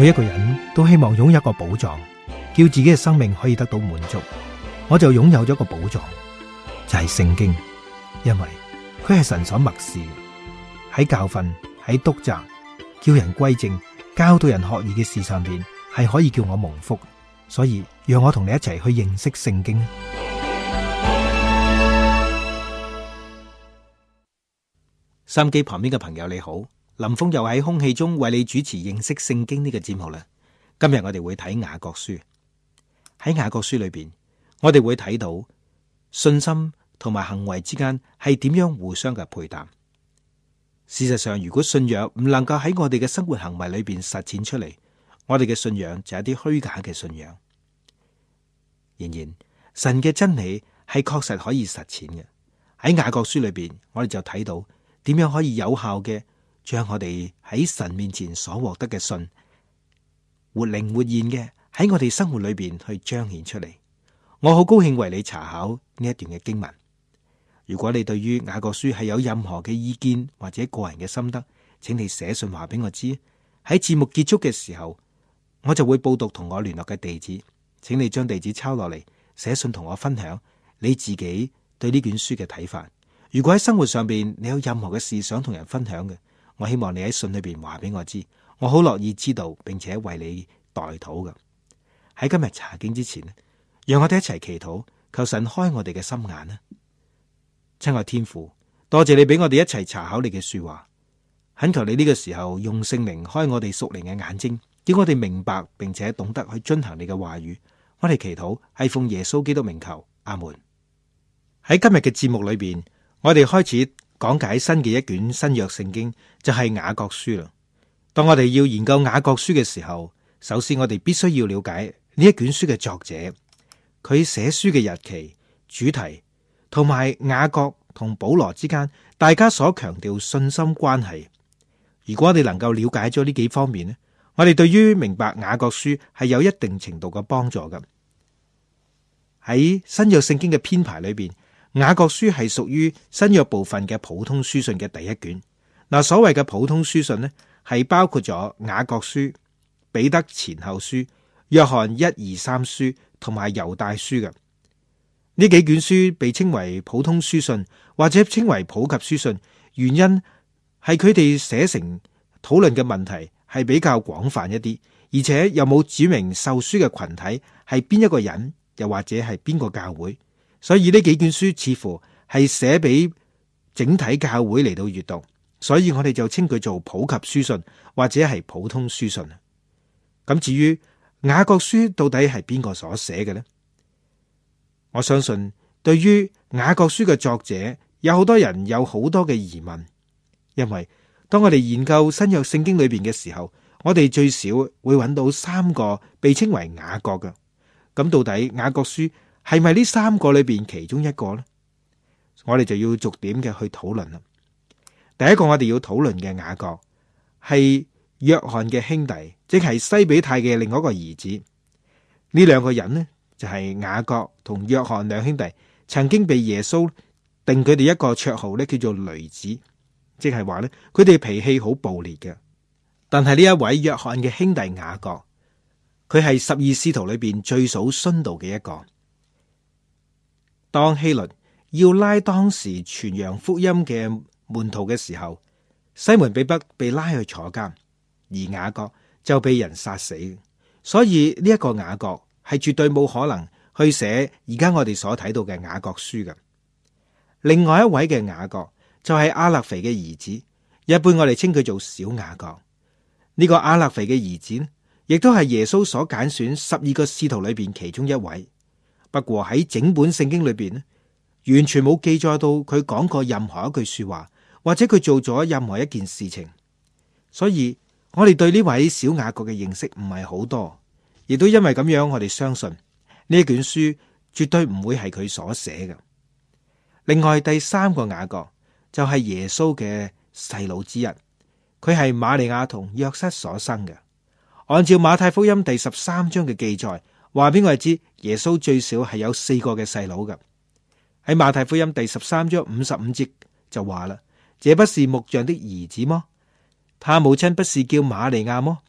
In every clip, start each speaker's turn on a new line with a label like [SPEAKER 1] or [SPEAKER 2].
[SPEAKER 1] 每一個人都希望擁有一個寶藏，叫自己嘅生命可以得到滿足。我就擁有咗一個寶藏，就係聖經，因為佢係神所默示，喺教訓、喺督責、叫人歸正、教導人學義嘅事上邊，係可以叫我蒙福。所以讓我同你一齊去認識聖經。收音機旁邊嘅朋友你好，林峰又喺空氣中為你主持認識聖經呢個節目啦。今日我哋會睇雅各書，喺雅各書裏邊，我哋會睇到信心同埋行為之間係點樣互相嘅配搭。事實上，如果信仰唔能夠喺我哋嘅生活行為裏邊實踐出嚟，我哋嘅信仰就係一啲虛假嘅信仰。然而，神嘅真理係確實可以實踐嘅。喺雅各書裏邊，我哋就睇到點樣可以有效嘅將我哋喺神面前所獲得嘅信，活靈活現嘅喺我哋生活裏邊去彰顯出嚟。我好高興為你查考呢一段嘅經文。如果你對於雅各書係有任何嘅意見或者個人嘅心得，請你寫信話俾我知。喺節目結束嘅時候，我就會報讀同我聯絡嘅地址，請你將地址抄落嚟，寫信同我分享你自己對呢卷書嘅睇法。如果喺生活上邊你有任何嘅事想同人分享嘅，我希望你喺信裏邊話俾我知，我好樂意知道，並且為你代禱嘅。喺今日查經之前，讓我哋一齊祈禱，求神開我哋嘅心眼啦。親愛天父，多謝你俾我哋一齊查考你嘅說話，懇求你呢個時候用聖靈開我哋屬靈嘅眼睛，叫我哋明白並且懂得去遵行你嘅話語。我哋祈禱係奉耶穌基督名求，阿門。喺今日嘅節目裏邊，我哋開始講解新嘅一卷新約聖經，就係雅各書啦。當我哋要研究雅各書嘅時候，首先我哋必須要了解呢一卷書嘅作者，佢寫書嘅日期、主題，同埋雅各同保羅之間大家所強調信心關係。如果我哋能夠了解咗呢幾方面咧，我哋對於明白雅各書係有一定程度嘅幫助嘅。喺新約聖經嘅編排裏邊，雅各書係屬於新約部分嘅普通書信嘅第一卷。嗱，所謂嘅普通書信呢，係包括咗雅各書、彼得前後書、約翰1、2、3書同埋猶大書嘅。呢幾卷書被稱為普通書信，或者稱為普及書信，原因係佢哋寫成討論嘅問題係比較廣泛一啲，而且又冇指明受書嘅群體係邊一個人，又或者係邊個教會，所以呢幾卷書似乎係寫俾整體教會嚟到閱讀，所以我哋就稱佢做普及書信或者係普通書信。咁至於雅各書到底係邊個所寫嘅呢？我相信對於雅各書嘅作者，有好多人有好多嘅疑問，因為當我哋研究新約聖經裏邊嘅時候，我哋最少會揾到3個被稱為雅各嘅。咁到底雅各書係咪呢3個裏邊其中一個呢？我哋就要逐點嘅去討論啦。第一個我哋要討論嘅雅各係約翰嘅兄弟，即係西比泰嘅另外一個兒子。呢2個人呢，就係雅各同約翰兩兄弟，曾經被耶穌定佢哋一個綽號咧，叫做雷子，即係話咧，佢哋脾氣好暴烈嘅。但係呢一位約翰嘅兄弟雅各，佢係12使徒裏邊最數殉道嘅一個。當希律要拉當時傳揚福音嘅門徒嘅時候，西門彼得被拉去坐監，而雅各就被人殺死。所以呢一個雅各係絕對冇可能去寫而家我哋所睇到嘅雅各書嘅。另外一位嘅雅各就係亞勒腓嘅兒子，一般我哋稱佢做小雅各。呢個亞勒腓嘅兒子呢，亦都係耶穌所揀選12個使徒裏邊其中一位。不過喺整本聖經裏邊呢，完全冇記載到佢講過任何一句說話，或者佢做咗任何一件事情。所以我哋對呢位小雅各嘅認識唔係好多，亦都因為咁樣，我哋相信呢卷書絕對唔會係佢所寫嘅。另外第3個雅各就係耶穌嘅細佬之一，佢係瑪利亞同約瑟所生嘅。按照馬太福音第13章嘅記載，話俾我哋知耶穌最少係有4個嘅細佬嘅。喺馬太福音第13章55節就話啦，這不是木匠的兒子麼？他母親不是叫瑪利亞麼？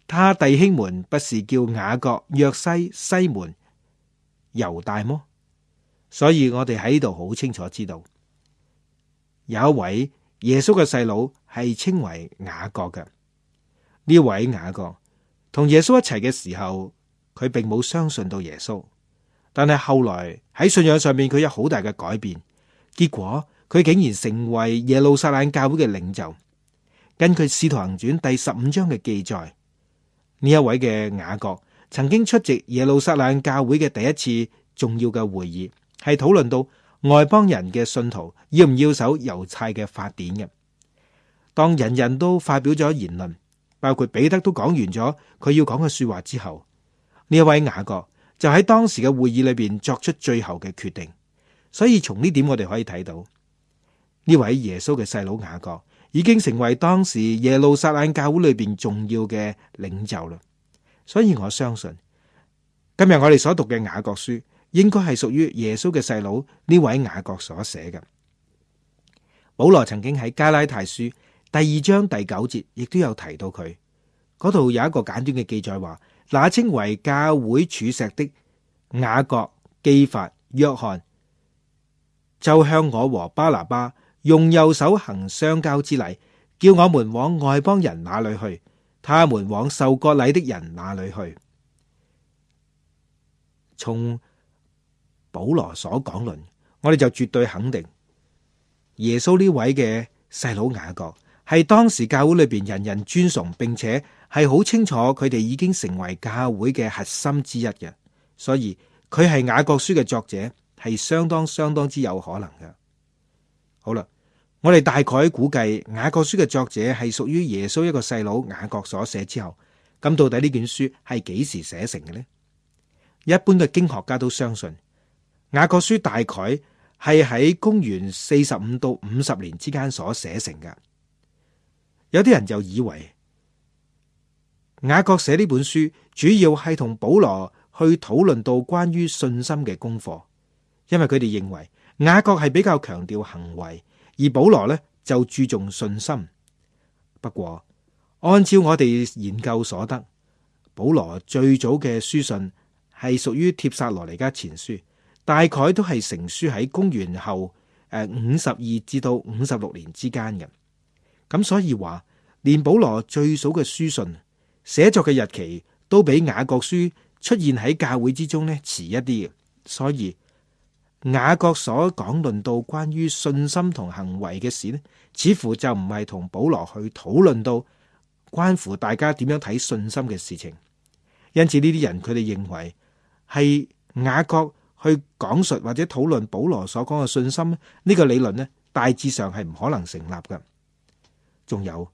[SPEAKER 1] 他弟兄們不是叫雅各、約西、西門、猶大麼？所以我哋喺呢度好清楚知道，有一位耶穌嘅細佬係稱為雅各嘅。呢位雅各同耶穌一齊嘅時候，佢並冇相信到耶穌，但係後來喺信仰上面佢有好大嘅改變，結果佢竟然成為耶路撒冷教會嘅領袖。根據《使徒行傳》第15章嘅記載，呢一位嘅雅各曾經出席耶路撒冷教會嘅第一次重要嘅會議，係討論到外邦人嘅信徒要唔要守猶太嘅法典嘅。當人人都發表咗言論，包括彼得都講完咗佢要講嘅說話之後，呢一位雅各就喺當時嘅會議裏邊作出最後嘅決定。所以從呢點我哋可以睇到，呢位耶穌嘅細佬雅各已經成為當時耶路撒冷教會裏邊重要嘅領袖啦。所以我相信今日我哋所讀嘅雅各書應該係屬於耶穌嘅細佬呢位雅各所寫嘅。保羅曾經喺加拉太書第2章第9節亦都有提到佢，嗰度有一個簡短嘅記載話，那稱為教會柱石的雅各、基法、約翰，就向我和巴拿巴用右手行相交之禮，叫我們往外邦人那裏去，他們往受割禮的人那裏去。從保羅所講論，我哋就絕對肯定耶穌呢位嘅細佬雅各係當時教會裏邊人人尊崇，並且係好清楚佢哋已經成為教會嘅核心之一嘅，所以佢係雅各書嘅作者係相當之有可能嘅。好啦，我哋大概估計雅各書嘅作者係屬於耶穌一個細佬雅各所寫之後，咁到底呢卷書係幾時寫成嘅呢？一般嘅經學家都相信雅各書大概係喺公元45到50年之間所寫成嘅。有啲人就以為雅各寫呢本書主要係同保羅去討論到關於信心嘅功課，因為佢哋認為雅各係比較強調行為，而保羅呢就注重信心。不過按照我哋研究所得，保羅最早嘅書信係屬於帖撒羅尼迦前書，大概都係成書喺公元後52至到56年之間嘅。咁所以話，連保羅最早嘅書信寫作嘅日期都比雅各書出現喺教會之中呢遲一啲嘅。所以雅各所講論到關於信心同行為嘅事呢，似乎就唔係同保羅去討論到關乎大家點樣睇信心嘅事情。因此呢啲人佢哋認為係雅各去講述或者討論保羅所講嘅信心呢個理論呢，大致上係唔可能成立嘅。仲有，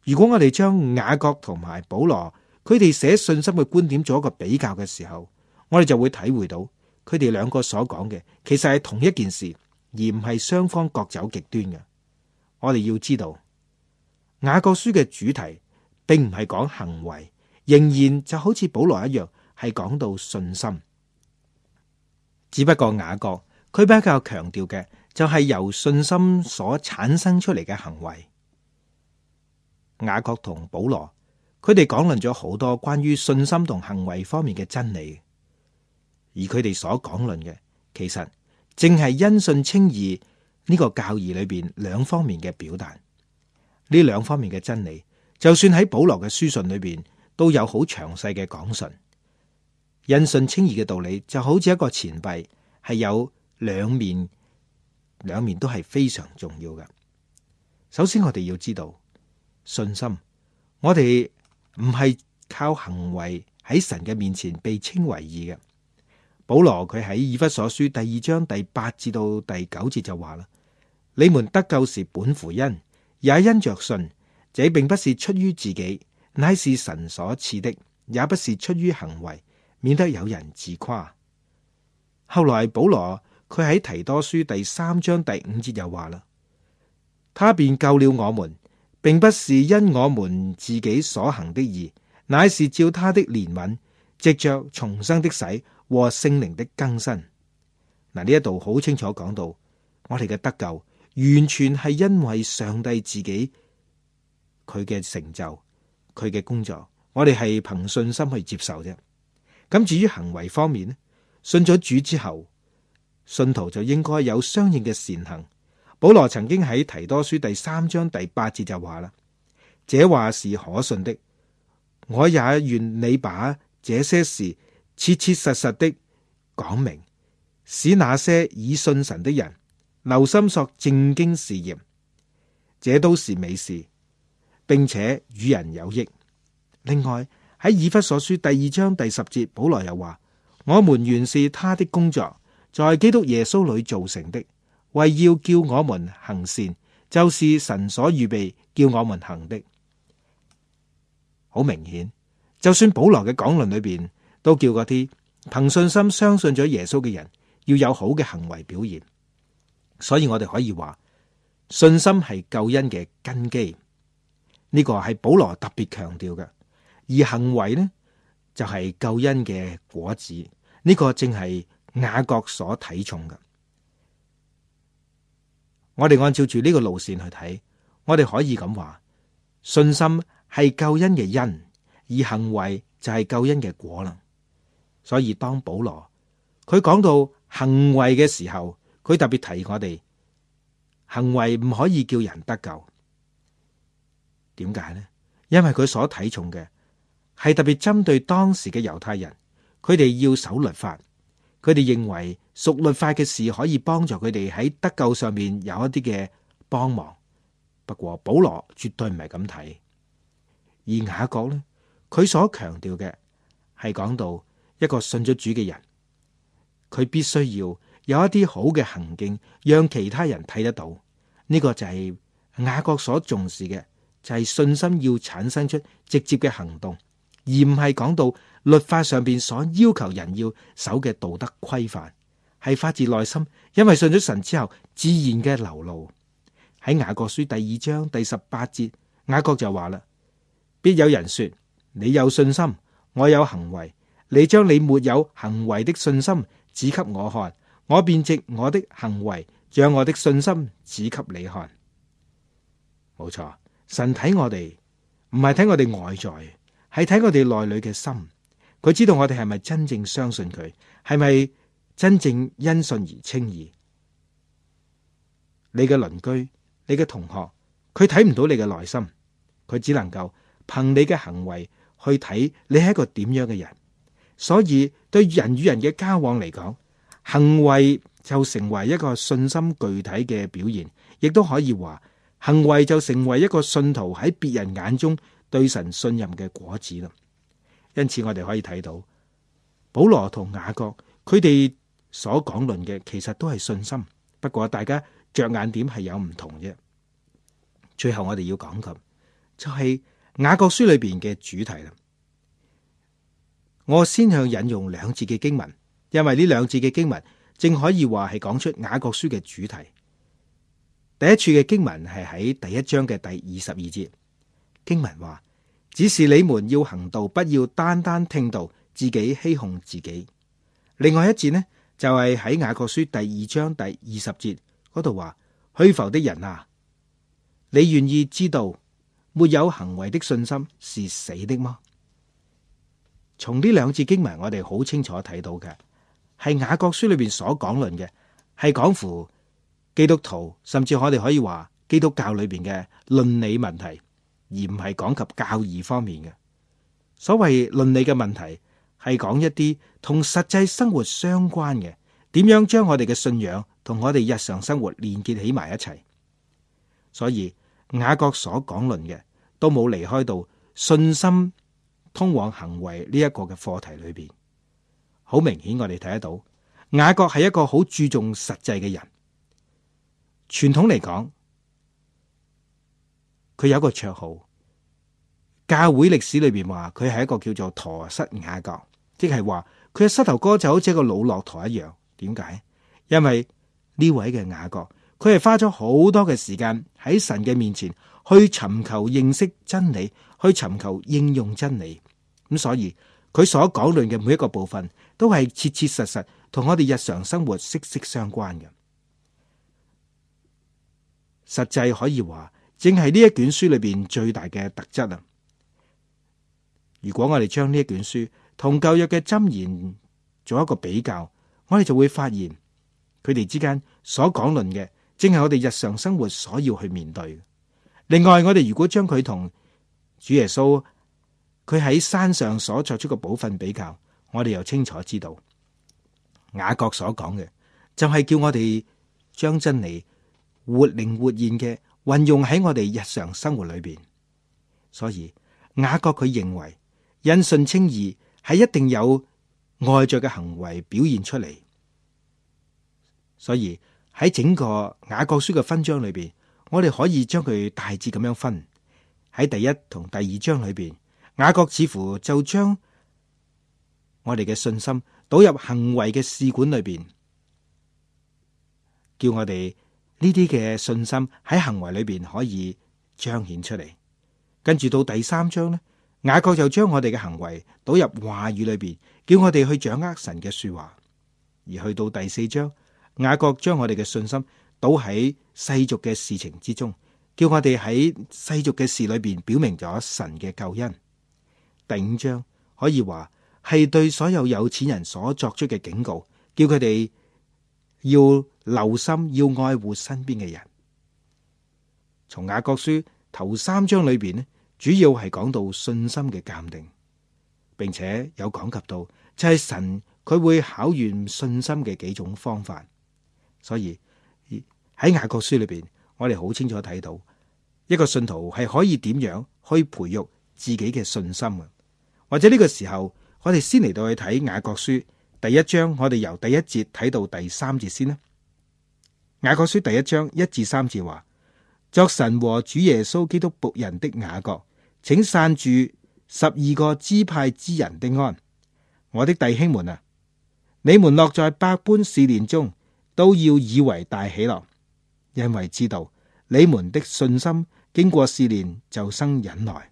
[SPEAKER 1] 如果我哋將雅各同埋保羅佢哋寫信心嘅觀點做一個比較嘅時候，我哋就會體會到佢哋兩個所講嘅其實係同一件事，而唔係雙方各走極端嘅。我哋要知道雅各書嘅主題並唔係講行為，仍然就好似保羅一樣係講到信心。只不過雅各佢比較強調嘅就係由信心所產生出嚟嘅行為。雅各同保羅佢哋講論咗好多關於信心同行為方面嘅真理，而佢哋所講論嘅其實正係因信稱義呢個教義裏邊兩方面嘅表達。呢兩方面嘅真理，就算喺保羅嘅書信裏邊都有好詳細嘅講述。因信稱義嘅道理就好似一個錢幣，係有兩面都係非常重要嘅。首先我哋要知道信心，我哋唔係靠行為喺神嘅面前被稱為義嘅。保羅佢喺以弗所書第2章第8至到第9節就話啦：你們得救是本乎恩，也因着信。這並不是出於自己，乃是神所賜的；也不是出於行為，免得有人自誇。後來保羅佢喺提多書第3章第5節又話啦：他便救了我們，並不是因我們自己所行的義，乃是照他的憐憫，藉着重生的洗和聖靈的更新。嗱，呢一度好清楚講到，我哋嘅得救完全係因為上帝自己佢嘅成就，佢嘅工作，我哋係憑信心去接受啫。咁至於行為方面呢，信咗主之後，信徒就應該有相應嘅善行。保羅曾經喺提多書第3章第8節就話啦：這話是可信的，我也願你把這些事切切實實的講明，使那些已信神的人留心作正經事業，這都是美事，並且與人有益。另外喺以弗所書第2章第10節，保羅又話：我們原是他的工作，在基督耶穌裏造成的，為要叫我們行善，就是神所預備叫我們行的。好明顯，就算保羅嘅講論裏邊都叫嗰啲憑信心相信咗耶穌嘅人要有好嘅行為表現。所以我哋可以話，信心係救恩嘅根基，呢個係保羅特別強調嘅。而行為呢，就係救恩嘅果子，呢個正係雅各所睇重嘅。我哋按照住呢個路線去睇，我哋可以咁話，信心係救恩嘅因，而行為就係救恩嘅果啦。所以當保羅佢講到行為嘅時候，佢特別提我哋，行為唔可以叫人得救。點解呢？因為佢所睇重嘅係特別針對當時嘅猶太人，佢哋要守律法，佢哋認為屬律法嘅事可以幫助佢哋喺得救上面有一啲嘅幫忙。不過保羅絕對唔係咁睇，而雅各呢，佢所強調嘅係講到一個信咗主嘅人，佢必須要有一啲好嘅行徑，讓其他人睇得到。呢個就係雅各所重視嘅，就係信心要產生出直接嘅行動，而唔係講到律法上邊所要求人要守嘅道德規範，係發自內心，因為信咗神之後自然嘅流露。喺雅各書第2章第18節，雅各就話啦：必有人說，你有信心，我有行為，你將你沒有行為的信心指給我看，我便藉我的行為將我的信心指給你看。冇錯，神睇我哋唔係睇我哋外在，係睇我哋內裏嘅心。佢知道我哋係咪真正相信佢，係咪真正因信而稱義。你嘅鄰居、你嘅同學，佢睇唔到你嘅內心，佢只能夠憑你嘅行為去睇你係一個點樣嘅人。所以對人與人嘅交往嚟講，行為就成為一個信心具體嘅表現，亦都可以話行為就成為一個信徒喺別人眼中對神信任嘅果子啦。因此我哋可以睇到保羅同雅各佢哋所講論嘅其實都係信心，不過大家着眼點係有唔同啫。最後我哋要講嘅就係雅各書裏邊嘅主題啦。我先向引用2節嘅經文，因為呢2節嘅經文正可以話係講出雅各書嘅主題。第一處嘅經文係喺第1章嘅第22節，經文話：只是你們要行道，不要單單聽道，自己欺哄自己。另外一節呢，就係喺雅各書第2章第20節嗰度話：虛浮的人啊，你願意知道沒有行為的信心是死的嗎？從呢2節經文，我哋好清楚睇到嘅係雅各書裏邊所講論嘅，係講乎基督徒，甚至我哋可以話基督教裏邊嘅倫理問題，而唔係講及教義方面嘅。所謂倫理嘅問題，係講一啲同實際生活相關嘅，點樣將我哋嘅信仰同我哋日常生活連結起埋一齊。所以雅各所講論嘅都冇離開到信心通往行為呢一個嘅課題裏邊。好明顯我哋睇得到雅各係一個好注重實際嘅人。傳統嚟講，佢有一個綽號，教會歷史裏邊話佢係一個叫做駝膝雅各，即係話佢嘅膝頭哥就好似一個老駱駝一樣。點解？因為呢位嘅雅各，佢係花咗好多嘅時間喺神嘅面前去尋求認識真理，去尋求應用真理。咁所以佢所講論嘅每一個部分都係切切實實同我哋日常生活息息相關嘅。實際可以話正係呢一卷書裏邊最大嘅特質啊！如果我哋將呢一卷書同舊約嘅箴言做一個比較，我哋就會發現佢哋之間所講論嘅，正係我哋日常生活所要去面對。另外，我哋如果將佢同主耶穌佢喺山上所作出嘅寶訓比較，我哋又清楚知道雅各所講嘅就係叫我哋將真理活靈活現嘅運用喺我哋日常生活裏邊。所以雅各佢認為因信稱義係一定有外在嘅行為表現出嚟。所以喺整個雅各書嘅分章裏邊，我哋可以將佢大致咁樣分。喺第一同第二章裏邊，雅各似乎就將我哋嘅信心倒入行為嘅試管裏邊，叫我哋呢啲嘅信心喺行為裏邊可以彰顯出嚟。跟住到第三章呢，雅各就將我哋嘅行為倒入話語裏邊，叫我哋去掌握神嘅說話。而去到第四章，雅各將我哋嘅信心倒喺世俗嘅事情之中，叫我哋喺世俗嘅事裏邊表明咗神嘅救恩。第五章可以話係對所有有錢人所作出嘅警告，叫佢哋要留心，要愛護身邊嘅人。從雅各書頭三章裏邊呢，主要係講到信心嘅鑑定，並且有講及到就係神佢會考驗信心嘅幾種方法。所以喺雅各書裏邊，我哋好清楚睇到一個信徒係可以點樣去培育自己嘅信心啊。或者呢個時候，我哋先嚟到去睇雅各書第一章，我哋由第一節睇到第三節先啦。雅各書第一章1至3節話：作神和主耶穌基督僕人的雅各，請散住12個支派之人的安。我的弟兄們啊，你們落在百般試煉中，都要以為大喜樂，因為知道你們的信心經過試煉，就生忍耐。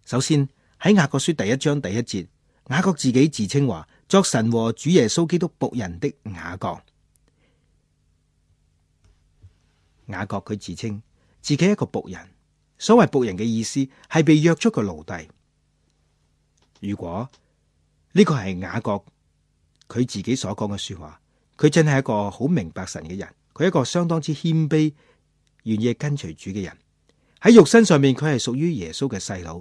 [SPEAKER 1] 首先喺雅各書第一章第一節，雅各自己自稱話：作神和主耶穌基督僕人的雅各。雅各佢自稱自己一個僕人，所謂僕人嘅意思係被約束嘅奴隸。如果呢個係雅各佢自己所講嘅說話，佢真係一個好明白神嘅人，佢係一個相當之謙卑、願意跟隨主嘅人。喺肉身上面，佢係屬於耶穌嘅細佬，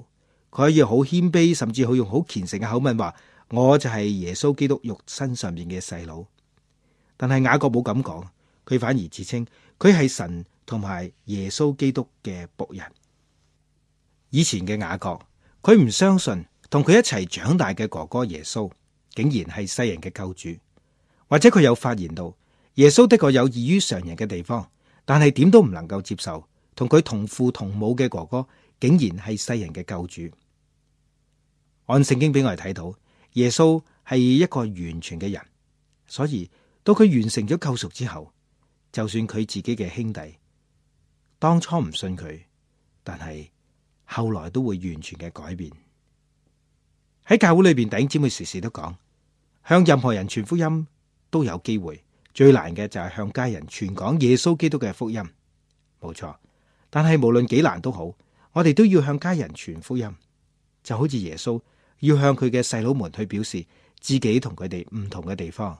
[SPEAKER 1] 佢可以好謙卑，甚至好用好虔誠嘅口吻話：我就係耶穌基督肉身上面嘅細佬。但係雅各冇咁講，佢反而自稱佢係神同埋耶穌基督嘅僕人。以前嘅雅各，佢唔相信同佢一齊長大嘅哥哥耶穌竟然係世人嘅救主，或者佢有發現到耶穌的確有異於常人嘅地方，但係點都唔能夠接受同佢同父同母嘅哥哥竟然係世人嘅救主。按聖經俾我哋睇到，耶穌係一個完全嘅人，所以到佢完成咗救贖之後，就算佢自己嘅兄弟當初唔信佢，但係後來都會完全嘅改變。喺教會裏邊，弟兄姊妹時時都講，向任何人傳福音都有機會，最難嘅就係向家人傳講耶穌基督嘅福音。冇錯，但係無論幾難都好，我哋都要向家人傳福音，就好似耶穌要向佢嘅細佬們去表示自己同佢哋唔同嘅地方。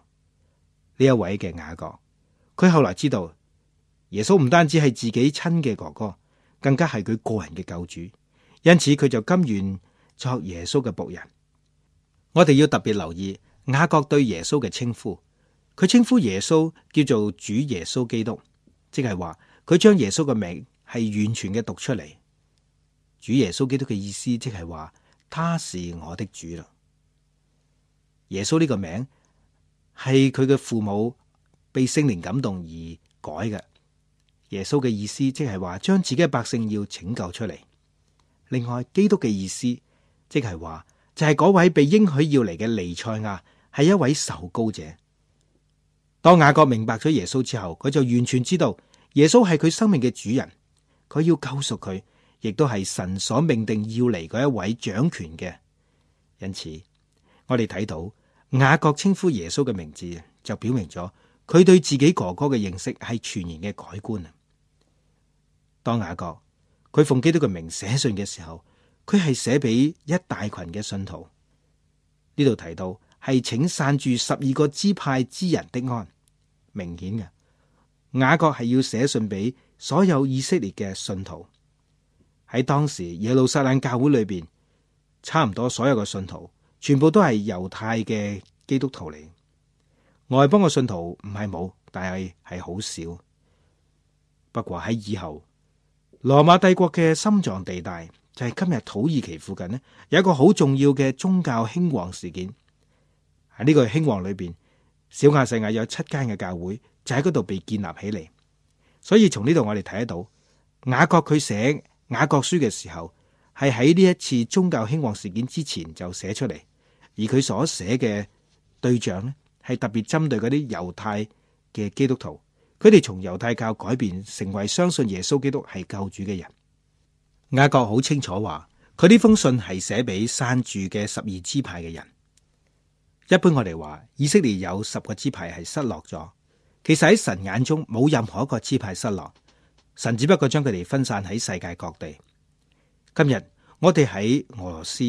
[SPEAKER 1] 呢一位嘅雅各，佢後來知道耶穌唔單止係自己親嘅哥哥，更加係佢個人嘅救主，因此佢就甘願作耶穌嘅僕人。我哋要特別留意雅各對耶穌嘅稱呼，佢稱呼耶穌叫做主耶穌基督，即係話佢將耶穌嘅名係完全嘅讀出嚟。主耶穌基督嘅意思即係話他是我的主啦。耶穌呢個名係佢嘅父母被聖靈感動而改嘅。耶穌嘅意思即係話將自己嘅百姓要拯救出嚟。另外，基督嘅意思即係話就係嗰位被應許要嚟嘅彌賽亞，係一位受膏者。當雅各明白咗耶穌之後，佢就完全知道耶穌係佢生命嘅主人，佢要救贖佢，亦都係神所命定要嚟嗰一位掌權嘅。因此，我哋睇到雅各稱呼耶穌嘅名字，就表明咗佢對自己哥哥嘅認識係全然嘅改觀啊！當雅各佢奉基督嘅名寫信嘅時候，佢係寫俾一大群嘅信徒。呢度提到係請散住12個支派之人的安，明顯嘅雅各係要寫信俾所有以色列嘅信徒。喺當時耶路撒冷教會裏邊，差唔多所有嘅信徒全部都係猶太嘅基督徒嚟。外邦嘅信徒唔係冇，但係好少。不過喺以後羅馬帝國嘅心臟地帶，就係今日土耳其附近呢，有一個好重要嘅宗教興旺事件。喺呢個興旺裏邊，小亞細亞有7間嘅教會就喺嗰度被建立起嚟。所以從呢度我哋睇得到，雅各佢寫雅各書嘅時候，係喺呢一次宗教興旺事件之前就寫出嚟，而佢所寫嘅對象呢，係特別針對嗰啲猶太嘅基督徒，佢哋從猶太教改變成為相信耶穌基督係救主嘅人。雅各好清楚話，佢呢封信係寫俾散住嘅12支派嘅人。一般我哋話以色列有10個支派係失落咗，其實喺神眼中冇任何一個支派失落，神只不過將佢哋分散喺世界各地。今日我哋喺俄羅斯、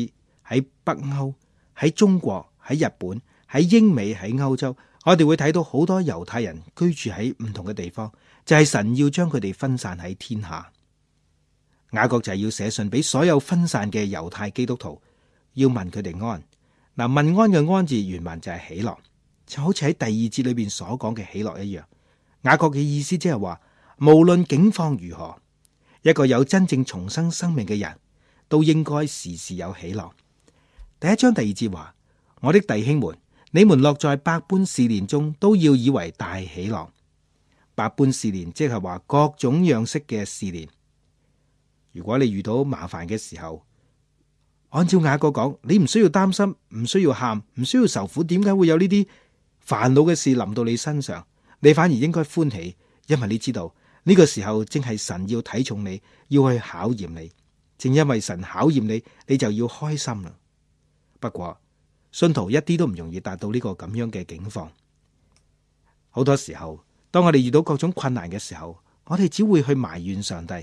[SPEAKER 1] 喺北歐、喺中國、喺日本、喺英美、喺歐洲，我哋會睇到好多猶太人居住喺唔同嘅地方，就係神要將佢哋分散喺天下。雅各就係要寫信俾所有分散嘅猶太基督徒，要問佢哋安。嗱，問安嘅安字原文就係喜樂，就好似喺第2節裏邊所講嘅喜樂一樣。雅各嘅意思即係話，無論境況如何，一個有真正重生生命嘅人都應該時時有喜樂。第1章第2節話，我的弟兄們，你們落在百般試煉中，都要以為大喜樂。百般試煉即係話各種樣式嘅試煉。如果你遇到麻煩嘅時候，按照雅各講，你唔需要擔心，唔需要喊，唔需要受苦。點解會有呢啲煩惱嘅事臨到你身上？你反而應該歡喜，因為你知道呢個時候正係神要睇重你，要去考驗你。正因為神考驗你，你就要開心啦。不過信徒一啲都唔容易達到呢個咁樣嘅境況。好多時候，當我哋遇到各種困難嘅時候，我哋只會去埋怨上帝。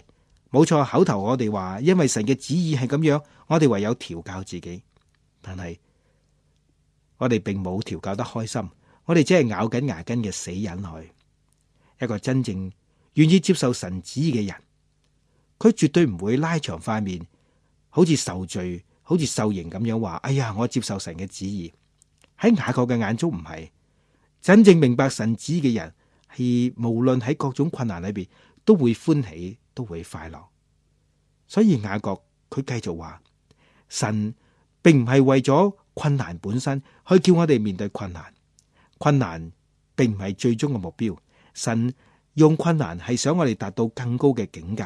[SPEAKER 1] 冇錯，口頭我哋話因為神嘅旨意係咁樣，我哋唯有調教自己。但係我哋並冇調教得開心，我哋只係咬緊牙根嘅死忍去。一個真正願意接受神旨意嘅人，佢絕對唔會拉長塊面，好似受罪、好似受刑咁樣話：哎呀，我接受神嘅旨意。喺雅各嘅眼中唔係，真正明白神旨意嘅人，係無論喺各種困難裏邊都會歡喜，都會快樂。所以雅各佢繼續話，神並唔係為咗困難本身去叫我哋面對困難，困難並唔係最終嘅目標。神用困難係想我哋達到更高嘅境界。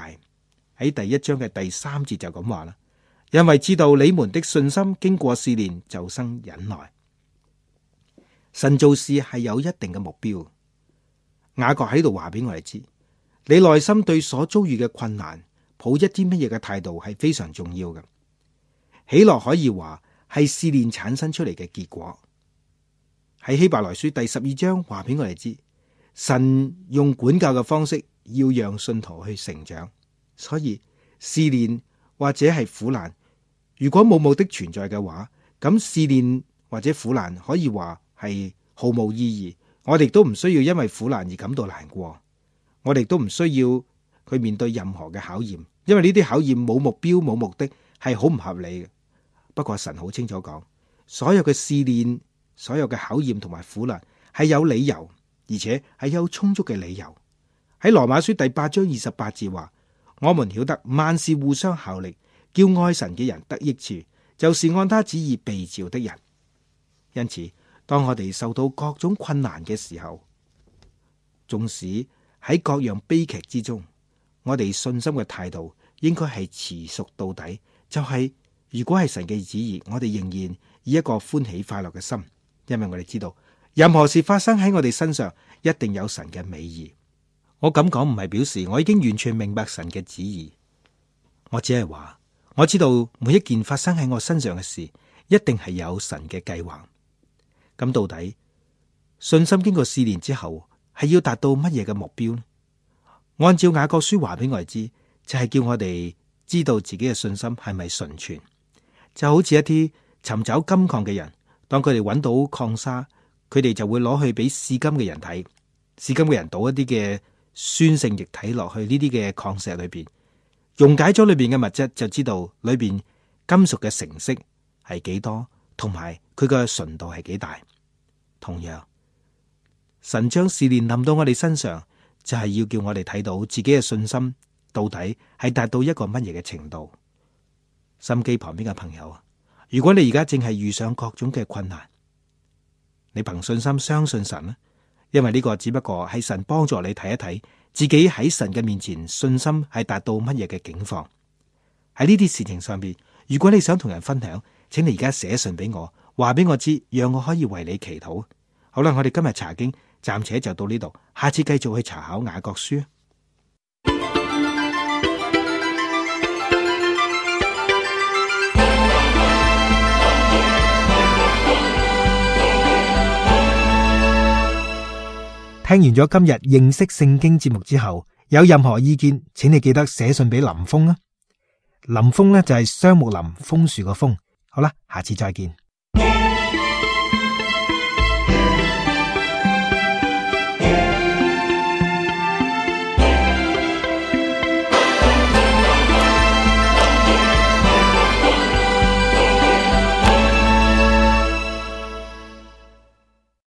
[SPEAKER 1] 喺第1章嘅第3節就咁話啦，因為知道你們的信心經過試煉就生忍耐。神做事係有一定嘅目標。雅各喺度話俾我哋知，你內心對所遭遇嘅困難抱一啲乜嘢嘅態度係非常重要嘅。喜樂可以話係試煉產生出嚟嘅結果。喺希伯來書第12章話俾我哋知，神用管教嘅方式要讓信徒去成長。所以試煉或者係苦難，如果冇目的存在嘅話，咁試煉或者苦難可以話係毫無意義。我哋都唔需要因為苦難而感到難過，我哋都唔需要去面對任何嘅考驗，因為呢啲考驗冇目標冇目的，係好唔合理嘅。不過神好清楚講，所有嘅試煉、所有嘅考驗同埋苦難係有理由，而且係有充足嘅理由。喺羅馬書第8章28節話，我們曉得萬事互相效力，叫愛神嘅人得益處，就是按他旨意被召的人。因此，當我哋受到各種困難嘅時候，縱使喺各樣悲劇之中，我哋信心嘅態度應該係持續到底。就係如果係神嘅旨意，我哋仍然以一個歡喜快樂嘅心，因為我哋知道任何事發生喺我哋身上，一定有神嘅美意。我咁講唔係表示我已經完全明白神嘅旨意，我只係話我知道每一件發生喺我身上嘅事，一定係有神嘅計劃。咁到底信心經過試煉之後，係要達到乜嘢嘅目標呢？按照雅各書話俾我哋知，就係叫我哋知道自己嘅信心係咪純全。就好似一啲尋找金礦嘅人，當佢哋揾到礦砂，佢哋就會攞去俾試金嘅人睇，試金嘅人倒一啲嘅酸性液體落去呢啲嘅礦石裏邊，溶解咗裏邊嘅物質，就知道裏邊金屬嘅成色係幾多，同埋佢嘅純度係幾大。同樣，神將試煉臨到我哋身上，就係要叫我哋睇到自己嘅信心到底係達到一個乜嘢嘅程度。心機旁邊嘅朋友，如果你而家正係遇上各種嘅困難，你憑信心相信神啦，因為呢個只不過係神幫助你睇一睇自己喺神嘅面前信心係達到乜嘢嘅境況。喺呢啲事情上邊，如果你想同人分享，請你而家寫信俾我，話俾我知，讓我可以為你祈禱。好啦，我哋今日查經暫且就到呢度，下次繼續去查考雅各書。聽完咗今日認識聖經節目之後，有任何意見，請你記得寫信俾林峰啊。林峰呢就係雙木林楓樹個楓。好啦，下次再見。